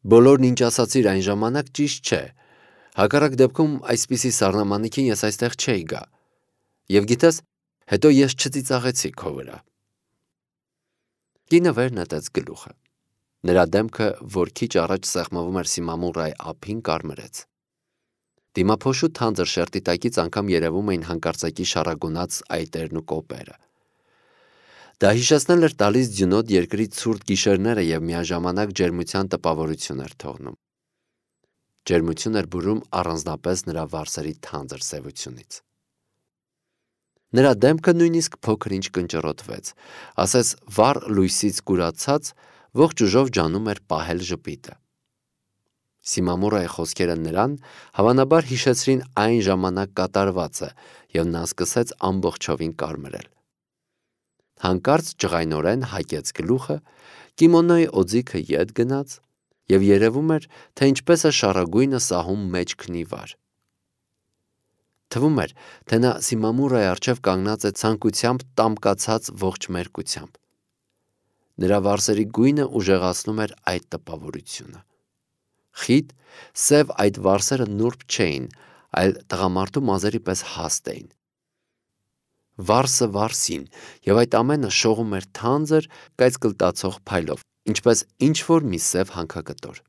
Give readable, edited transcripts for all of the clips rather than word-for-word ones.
Բոլորն ինչ ասացիր այն ժամանակ ճիշտ չէ, հակառակ դեպքում այսպիսի սառնամանիքին ես այստեղ չէի գա, և գիտես, հետո ես չծիծաղեցի քո վրա։ Կինը վեր նետեց գլուխը, նրա դեմքը, որ քիչ առաջ սեղմվում էր Սիմամուրայի ափին, կարմրեց։ Դիմափոշու թանձր շերտի տակից անգամ երևում էին հանկարծակի շառագունած այտերն ու կոպերը։ Դա հիշեցնել էր տալիս ձյունոտ երկրի ցուրտ գիշերները և միաժամանակ ջերմության տպավորություն էր թողնում։ Ջերմություն էր բուրում առանձնապես նրա վարսերի թանձր սևությունից։ Նրա դեմքը նույնիսկ փոքր-ինչ կնճռոտվեց, ասես վառ լույսից կուրացած ողջ ուժով ջանում էր պահել ժպիտը։ Սիմամուրայի խոսքերը նրան հավանաբար հիշեցրին այն ժամանակ կատարվածը, և նա սկսեց ամբողջովին կարմրել։ Հանկարծ ջղայնորեն հակեց գլուխը, կիմոնոյի օձիքը ետ գնաց, և երևում էր, թե ինչպես է շառագույնը սահում մեջքն ի վար։ Թվում էր, թե նա Սիմամուրայի առջև կանգնած է ցանկությամբ տամկացած ողջ մերկությամբ։ Նրա վարսերի գույնը ուժեղացնում էր այդ տպավորությունը։ Խիտ, սև այդ վարսերը նուրբ չէին, այլ տղամարդու մազերի պես հաստ էին։ Վարսը վարսին, և այդ ամենը շողում էր թանձր, կայծկլտացող փայլով, ինչպես ինչ-որ մի սև հանքակտոր։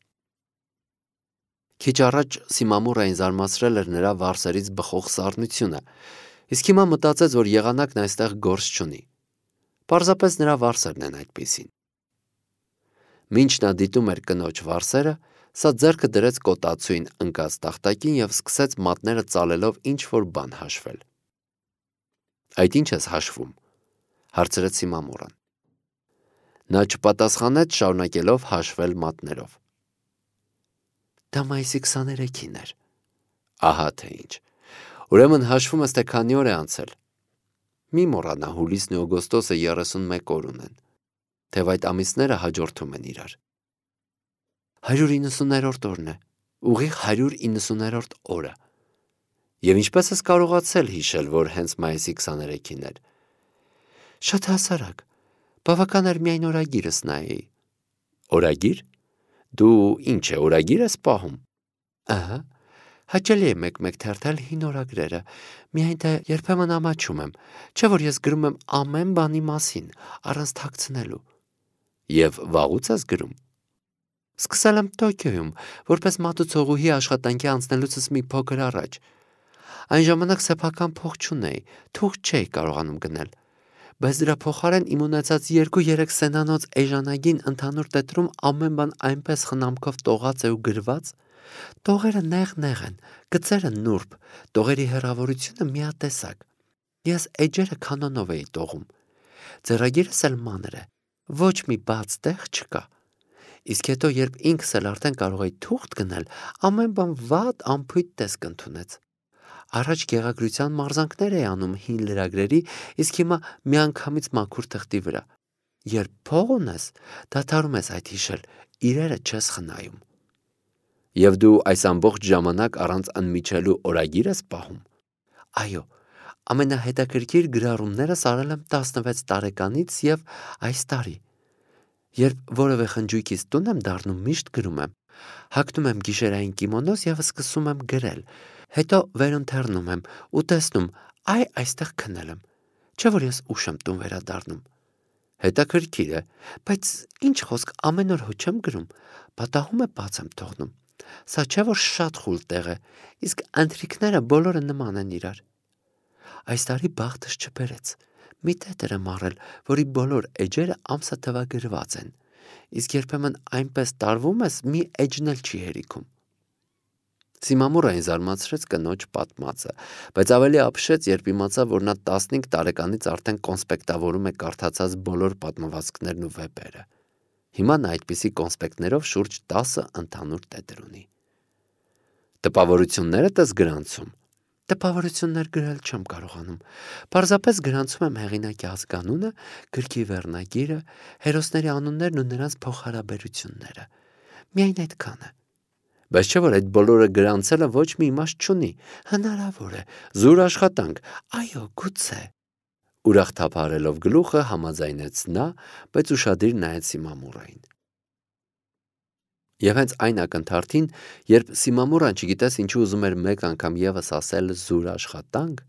Քիչ առաջ Սիմամուրային զարմացրել էր նրա վարսերից բխող սառնությունը, իսկ հիմա մտածեց, որ եղանակն այստեղ գործ չունի։ Պարզապես նրա վարսերն են այդպիսին։ Մինչ նա դիտում էր կնոջ վարսերը, սա ձեռքը դրեց կոտացույն ընկած տախտակին և սկսեց մատները ծալելով ինչ-որ բան հաշվել։ Այդ ի՞նչ ես հաշվում, հարցրեց Սիմամուրան։ Նա չպատասխանեց, շարունակելով հաշվել մատներով։ Դա մայիսի 23-ին էր։ Ահա թե ինչ։ Ուրեմն հաշվում ես, թե քանի օր է անցել։ Մի մոռանա, հուլիսն ու օգոստոսը 31 օր ունեն, թեև այդ ամիսները հաջորդում են իրար։ 190-րդ օրն է, ուղիղ 190-րդ օրը։ Եվ ինչպես ես կարողացել հիշել, որ հենց մայիսի 23-ին էր։ Շատ հասարակ, բավական էր միայն օրագիրս նայեի։ Օրագիր։ Դու ինչ է, օրագիր ես պահում։ Ահա, հաճելի է մեկ-մեկ թերթել հին օրագրերը, միայն թե երբեմն ամաչում եմ, չէ՞ որ ես գրում եմ ամեն բանի մասին, առանց թաքցնելու։ Եվ վաղուց ես գրում։ Սկսել եմ Տոկիոյում, որպես մատուցողուհի աշխատանքի անցնելուցս մի փոքր առաջ։ Այն ժամանակ սեփական փող չունեի, թուղթ չէի կարողանում գնել, բայց դրա փոխարեն իմ ունեցած 2-3 սենանոց էժանագին ընդհանուր տետրում ամեն բան այնպես խնամքով տողած է ու գրված, տողերը նեղ-նեղ են, գծերը նուրբ, տողերի հեռավորությունը միատեսակ։ Ես էջերը կանոնով էի տողում։ Ձեռագիրս էլ մանր է, ոչ մի բաց տեղ չկա։ Իսկ հետո, երբ ինքս էլ արդեն կարող էի թուղթ գնել, ամեն բան վատ անփույթ տեսք ընդունեց։ Առաջ գեղագրության մարզանքներ էի անում հին լրագրերի, իսկ հիմա միանգամից մաքուր թղթի վրա։ Երբ փող ունես, դադարում ես այդ հիշել, իրերը չես խնայում։ Եվ դու այս ամբողջ ժամանակ առանց ընդմիջելու օրագիր ես պահում։ Այո, ամենահետաքրքիր գրառումներս արել եմ 16 տարեկանից և այս տարի։ Երբ որևէ խնջույքից տուն եմ դառնում, միշտ գրում եմ։ Հագնում եմ գիշերային կիմոնոս և սկսում եմ գրել, հետո վերընթեռնում եմ ու տեսնում, այստեղ քնել եմ, չէ՞ որ ես ուշ եմ տուն վերադառնում։ Հետաքրքիր է, բայց ինչ խոսք, ամեն օր հո չեմ գրում, պատահում է բաց եմ թողնում։ Սա չէ՞ որ շատ խուլ տեղ է, իսկ ընթրիքները բոլորը նման են իրար։ Այս տարի բախտս չբերեց։ Մի տետր եմ առել, որի բոլոր էջերը ամսաթվագրված են, իսկ երբեմն այնպես տարվում ես, մի էջն էլ չի հերիքում։ Սիմամուրային զարմացրեց կնոջ պատմածը, բայց ավելի ապշեց, երբ իմացավ, որ նա 15 տարեկանից արդեն կոնսպեկտավորում է կարդացած բոլոր պատմվածքներն ու վեպերը։ Հիմա նա այդպիսի կոնսպեկտներով շուրջ 10 ընդհանուր տետր ունի։ Տպավորություններդ ես գրանցում։ Տպավորություններ գրել չեմ կարողանում։ Պարզապես գրանցում եմ հեղինակի ազգանունը, գրքի վերնագիրը, հերոսների անուններն ու նրանց փոխհարաբերությունները։ Միայն այդքանը։ Բայց չէ՞ որ այդ բոլորը գրանցելը ոչ մի իմաստ չունի։ Հնարավոր է, զուր աշխատանք, այո, գուցե։ Ուրախ թափահարելով գլուխը համաձայնեց նա, բայց ուշադիր նայեց Սիմամուրային։ Եվ հենց այն ակնթարթին, երբ Սիմամուրան չգիտես ինչու ուզում էր մեկ անգամ ևս ասել զուր աշխատանք,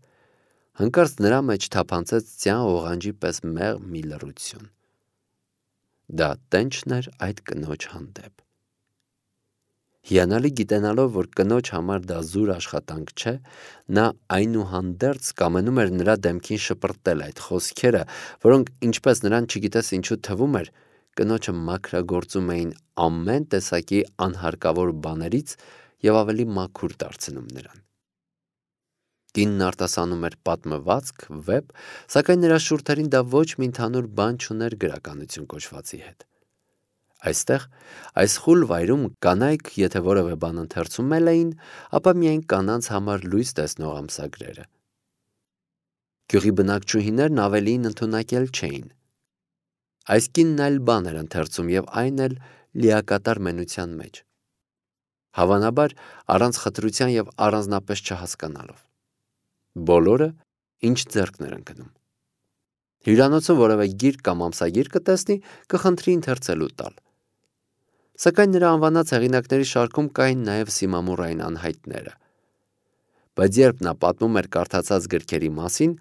հանկարծ նրա մեջ թափանցեց ձյան օղանջի պես մեղմ մի լռություն։ Դա տենչն էր այդ կնոջ հանդեպ։ Հիանալի գիտենալով, որ կնոջ համար դա զուր աշխատանք չէ, նա այնուհանդերձ կամենում էր նրա դեմքին շպրտել այդ խոսքերը, որոնք, ինչպես նրան չգիտես ինչու թվում էր, կնոջը մաքրագործում էին ամեն տեսակի անհարկավոր բաներից և ավելի մաքուր դարձնում նրան։ Կինն արտասանում էր պատմվածք, վեպ, սակայն նրա շուրթերին դա ոչ մի ընդհանուր բան չուներ գրականություն կոչվածի հետ։ Այստեղ, այս խուլ վայրում կանայք, եթե որևէ բան ընթերցում էին, ապա միայն կանանց համար լույս տեսնող ամսագրերը։ Գյուղի բնակչուհիներն ավելին ընդունակել չէին։ Այս կինն այլ բան էր ընթերցում և այն էլ լիակատար մենության մեջ։ Հավանաբար առանց խտրության և առանձնապես չհասկանալով։ Բոլորը, ինչ ձեռքն էր ընկնում։ Հյուրանոցում որևէ գիրք կամ ամսագիր կտեսնի, կխնդրի ընթերցելու տալ։ Սակայն նրա անվանած հեղինակների շարքում կային նաև Սիմամուրային անհայտները։ Բայց երբ նա պատմում էր կարդացած գրքերի մասին,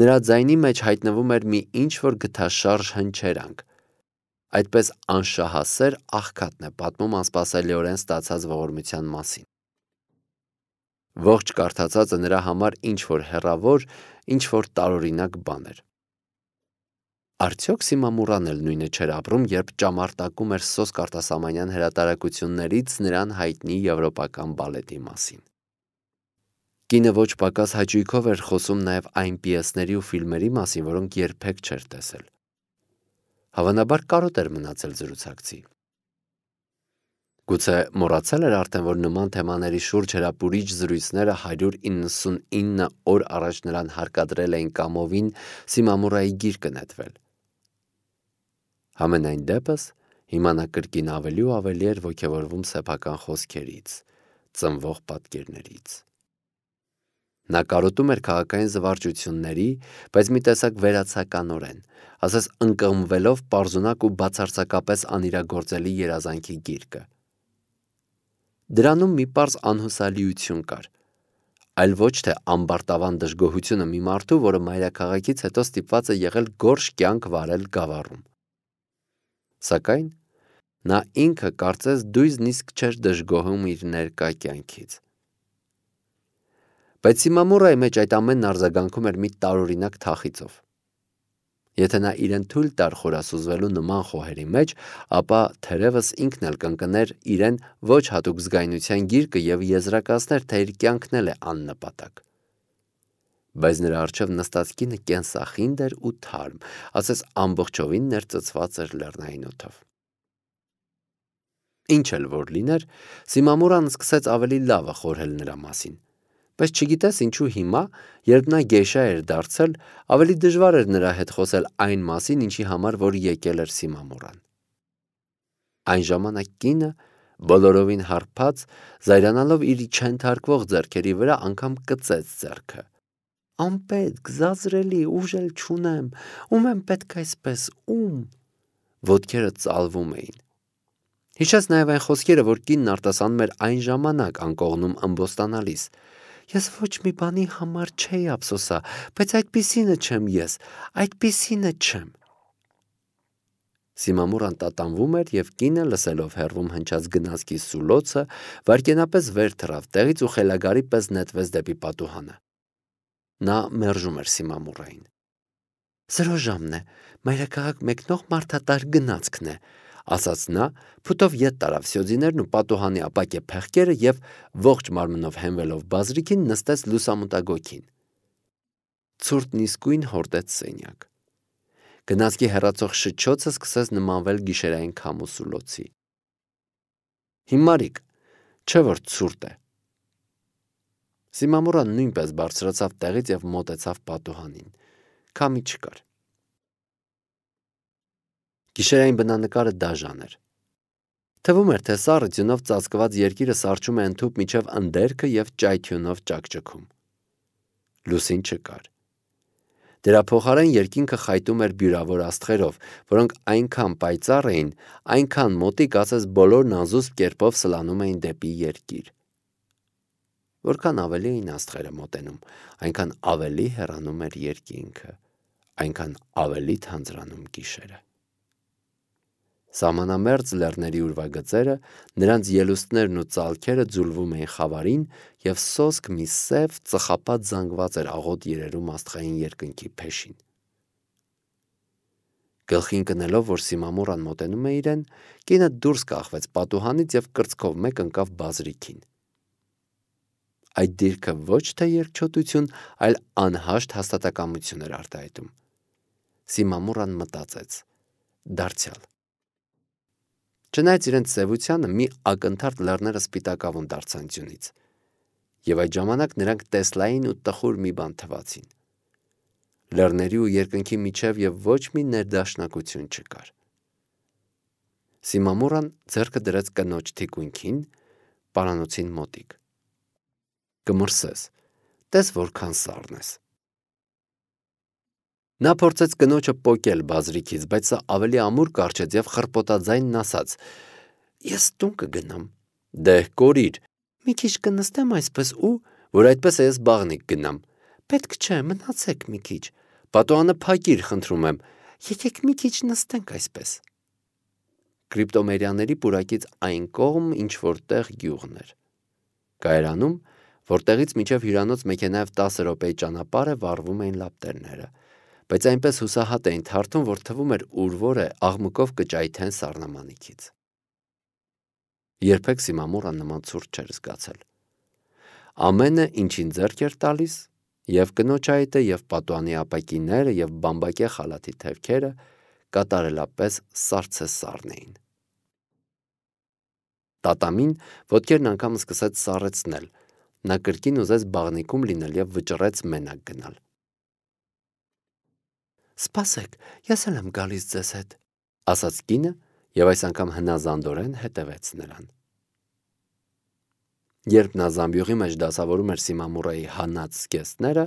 նրա ձայնի մեջ հայտնվում էր մի ինչ-որ գթաշարժ հնչերանք։ Այդպես անշահասեր աղքատն է պատմում անսպասելիորեն ստացած ողորմության մասին։ Ողջ կարդացածը նրա համար ինչ-որ հեռավոր, ինչ-որ տարօրինակ բան էր։ Արդյոք Սիմամուրան էլ նույնը չէր ապրում, երբ ճամարտակում էր Սոսկ արտասահմանյան հրատարակություններից նրան հայտնի եվրոպական բալետի մասին։ Կինը ոչ պակաս հաճույքով էր խոսում նաև այն պիեսների ու ֆիլմերի մասին, որոնք երբեք չէր տեսել։ Հավանաբար կարոտ էր մնացել զրուցակցի։ Գուցե մոռացել էր արդեն, որ նման թեմաների շուրջ հրապուրիչ զրույցները 199 օր առաջ նրան հարկադրել էին կամովին Սիմամուրայի գիրկը նետվել։ Համենայն դեպս, հիմա նա կրկին ավելի ու ավելի էր ոգևորվում սեփական խոսքերից, ծնվող պատկերներից։ Նա կարոտում էր քաղաքային զվարճությունների, բայց մի տեսակ վերացականորեն, ասես ընկղմվելով պարզունակ ու բացարձակապես անիրագործելի երազանքի գիրկը։ Դրանում մի պարզ անհուսալիություն կար, այլ ոչ թե ամբարտավան դժգոհությունը մի մարդու, որը մայրաքաղաքից հետո ստիպված է եղել գորշ կյանք վարել Գավառում։ Սակայն նա ինքը կարծես դույզնիսկ չէր դժգոհում իր ներկա կյանքից։ Բայց Սիմամուրայի մեջ այդ ամենն արձագանքում էր մի տարօրինակ թախիծով։ Եթե նա իրեն թույլ տար խորասուզվելու նման խոհերի մեջ, ապա թերևս ինքն էլ կընկներ իրեն ոչ հատուկ զգայունության գիրկը և եզրակացներ, թե իր կյանքն էլ է աննպատակ։ Բայց նրա առջև նստած կինը կենսախինդ էր ու թարմ, ասես ամբողջովին ներծծված էր լեռնային օդով։ Ինչ էլ որ լիներ, Սիմամուրան սկսեց ավելի լավը խորհել նրա մասին, բայց չգիտես ինչու հիմա, երբ նա գեյշա էր դարձել, ավելի դժվար էր նրա հետ խոսել այն մասին, ինչի համար որ եկել էր Սիմամուրան։ Այն ժամանակ կինը, բոլորովին հարբած, զայրանալով իր չենթարկվող ձեռքերի վրա, անգամ կծեց ձեռքը։ Անպետք, զազրելի, ուժ էլ չունեմ, ում եմ պետք այսպես, ում։ Ոտքերը ծալվում էին։ Հիշեց նաև այն խոսքերը, որ կինն արտասանում էր այն ժամանակ անկողնում ըմբոստանալիս։ Ես ոչ մի բանի համար չէի ափսոսա, բայց այդպիսինը չեմ ես, այդպիսինը չեմ։ Սիմամուրան տատանվում էր և կինը, լսելով հեռվում հնչած գնացքի սուլոցը, վայրկենապես վեր թռավ տեղից ու խելագարի պես նետվեց դեպի պատուհանը։ Նա մերժում էր Սիմամուրային։ Զրոժամն է, մայրաքաղաք մեկնող մարդատար գնացքն է, ասաց նա, փութով ետ տարավ սյոձիներն ու պատուհանի ապակե փեղկերը և ողջ մարմնով հենվելով բազրիքին նստեց լուսամուտագոգին։ Ցուրտն իսկույն հորդեց սենյակ։ Գնացքի հեռացող շչոցը սկսեց նմանվել գիշերային քամու սուլոցի։ Հիմարիկ, չէ որ ցուրտ է։ Սիմամուրան նույնպես բարձրացավ տեղից և մոտեցավ պատուհանին։ Քամի չկար։ Գիշերային բնանկարը դաժան էր։ Թվում էր, թե սառը ձյունով ծածկված երկիրը սառչում է ընդհուպ միջև ընդերքը և ճայթյունով ճաքճքում։ Լուսին չկար։ Դրա փոխարեն երկինքը խայտում էր բյուրավոր աստղերով, որոնք այնքան պայծառ էին, այնքան մոտիկ, ասես բոլորն անզուսպ կերպով սլանում էին դեպի երկիր։ Որքան ավելի էին աստղերը մոտենում, այնքան ավելի հեռանում էր երկինքը, այնքան ավելի թանձրանում գիշերը։ Սահմանամերձ լեռների ուրվագծերը, նրանց ելուստներն ու ծալքերը ձուլվում էին խավարին, և սոսկ մի սև ծխապատ զանգված էր աղոտ երերում աստղային երկնքի փեշին։ Գլխին կնելով, որ Սիմամուրան մոտենում է իրեն, կինը դուրս կախվեց պատուհանից և կրծքով մեկ ընկավ բազրիքին։ Այդ դիրքը ոչ թե երկչոտություն, այլ անհաշտ հաստատակամություն էր արտահայտում։ Սիմամուրան մտածեց. դարձյալ։ Չնայած իրենց սևությանը, մի ակնթարթ լեռները սպիտակավուն դարձան ձյունից, և այդ ժամանակ նրանք տեսլային ու տխուր մի բան թվացին։ Լեռների ու երկնքի միջև և ոչ մի ներդաշնակություն չկար։ Սիմամուրան ձեռքը դրեց կնոջ թիկունքին, պարանոցին մոտիկ։ Կմրսես, տես որքան սառն ես։ Նա փորձեց կնոջը պոկել բազրիքից, բայց սա ավելի ամուր կառչեց և խռպոտաձայնն ասաց. Ես տուն կգնամ։ Դե կորիր, մի քիչ կնստեմ այսպես ու, որ այդպես է ես բաղնիք գնամ։ Պետք չէ, մնացեք մի քիչ։ Պատուհանը փակիր, խնդրում եմ, եկեք մի քիչ նստենք այսպես։ Կրիպտոմերյաների պուրակից այն կողմ ինչ-որ տեղ գյուղն էր։ Կայարանում, որտեղից մինչև հյուրանոց մեքենայով 10 րոպեի ճանապարհ է, վառվում էին լապտերները, բայց այնպես հուսահատ էին թարթում, որ թվում էր ուրվոր է աղմուկով կճայթեն սառնամանիքից։ Երբեք Սիմամուրան նման ցուրտ չէր զգացել։ Ամենը, ինչին ձեռք էր տալիս, և կնոջ այտը, և պատուհանի ապակիները, և բամբակե խալաթի թևքերը կատարելապես սառցեսառն էին։ Տատամին ոտքերն անգամ սկսեց սառեցնել, նա կրկին ուզեց բաղնիքում լինել և վճռեց մենակ գնալ։ Սպասեք, ես էլ եմ գալիս ձեզ հետ, ասաց կինը և այս անգամ հնազանդորեն հետևեց նրան։ Երբ նա զամբյուղի մեջ դասավորում էր Սիմամուրայի հանած զգեստները,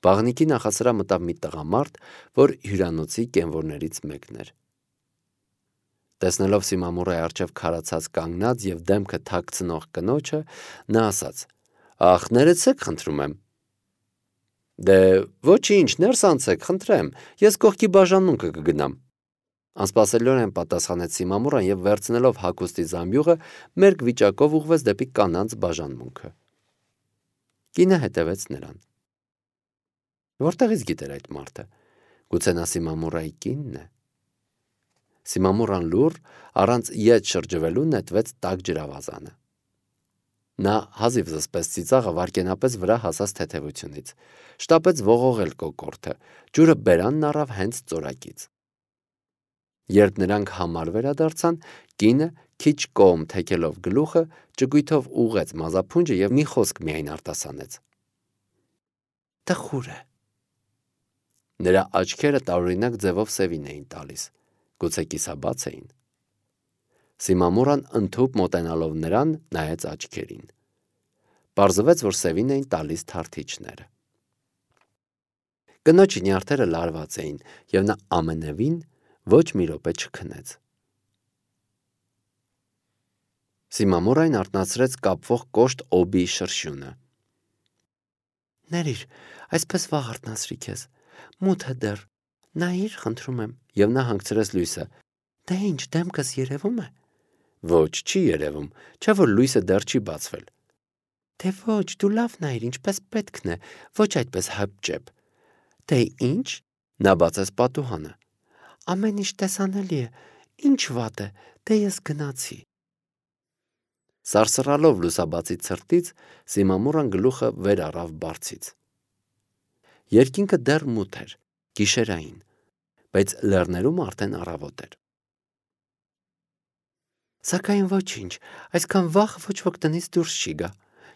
բաղնիքի նախասրահ մտավ մի տղամարդ, որ հյուրանոցի կենվորներից մեկն էր։ Տեսնելով Սիմամուրայի առջև քարացած կանգնած և դեմքը թաքցնող կնոջը, նա ասաց. Ախ, ներեցեք, խնդրում եմ։ Դե ոչինչ, ներս անցեք, խնդրեմ, ես կողքի բաժանմունքը կգնամ։ Անսպասելիորեն պատասխանեց Սիմամուրան և վերցնելով հագուստի զամբյուղը, մերկ վիճակով ուղղվեց դեպի կանանց բաժանմունքը։ Կինը հետևեց նրան։ Որտեղից գիտեր այդ մարդը։ Գուցե նա Սիմամուրայի կինն է։ Սիմամուրան լուռ, առանց ետ շրջվելու նետվեց տաք ջրավազանը։ Նա հազիվ զսպեց ծիծաղը վայրկենապես վրա հասած թեթևությունից, շտապեց ողողել կոկորդը, ջուրը բերանն առավ հենց ծորակից։ Երբ նրանք համար վերադարձան, կինը, քիչ կողմ թեքելով գլուխը, ճկույթով ուղղեց մազափունջը և մի խոսք միայն արտասանեց. Տխուր է։ Նրա աչքերը տարօրինակ ձևով սևին էին տալիս, գուցե կիսաբաց էին։ Սիմամուրան ընդհուպ մոտենալով նրան նայեց աչքերին։ Պարզվեց, որ սևին էին տալիս թարթիչները։ Կնոջի նյարդերը լարված էին, և նա ամենևին ոչ մի րոպե չքնեց։ Սիմամուրային արթնացրեց կապվող կոշտ օբիի շրշյունը։ Ներիր, այսպես վաղ արթնացրի քեզ, մութ է դեռ, նայիր, խնդրում եմ, և նա հանգցրեց լույսը։ Դե ինչ, դեմքս երևում է։ Ոչ, չի երևում, չէ՞ որ լույսը դեռ չի բացվել։ Դե ոչ, դու լավ նայիր, ինչպես պետքն է, ոչ այդպես հապճեպ։ Դե ինչ, նա բացեց պատուհանը։ Ամեն ինչ տեսանելի է, ինչ վատ է, դե ես գնացի։ Սարսռալով լուսաբացի ցրտից, Սիմամուրան գլուխը վեր առավ բարձից։ Երկինքը դեռ մութ էր, գիշերային, բայց լեռներում արդեն առավոտ էր։ Սակայն ոչինչ, այսքան վաղ ոչ ոք տնից դուրս չի գա։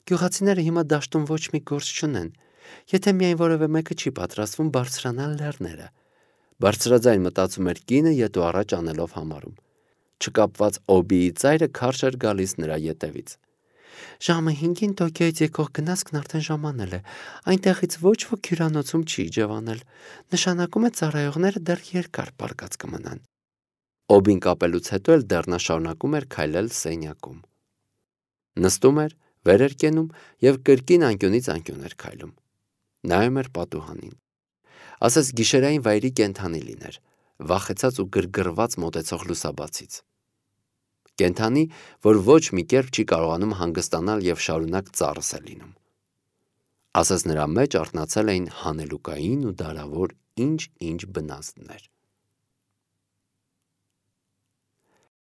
Գյուղացիները հիմա դաշտում ոչ մի գործ չունեն, եթե միայն որևէ մեկը չի պատրաստվում բարձրանալ լեռները։ Բարձրաձայն մտածում էր կինը ետ ու առաջ անելով համարում։ Չկապված օբիի ծայրը քարշ էր գալիս նրա ետևից։ Ժամը 5-ին Տոկիոյից եկող գնացքն արդեն ժամանել է, այնտեղից ոչ ոք հյուրանոցում չի ջվանել, նշանակում է ծառայողները դեռ երկար պառկած կմնան։ Օբին կապելուց հետո էլ դեռ նա շարունակում էր քայլել սենյակում։ Նստում էր, վեր էր կենում և կրկին անկյունից անկյուն էր քայլում։ Նայում էր պատուհանին։ Ասես գիշերային վայրի կենդանի լիներ, վախեցած ու գրգռված մոտեցող լուսաբացից։ Կենդանի, որ ոչ մի կերպ չի կարողանում հանգստանալ և շարունակ ծառս է լինում։ Ասես նրա մեջ արթնացել էին հանելուկային ու դարավոր ինչ-ինչ բնազդներ։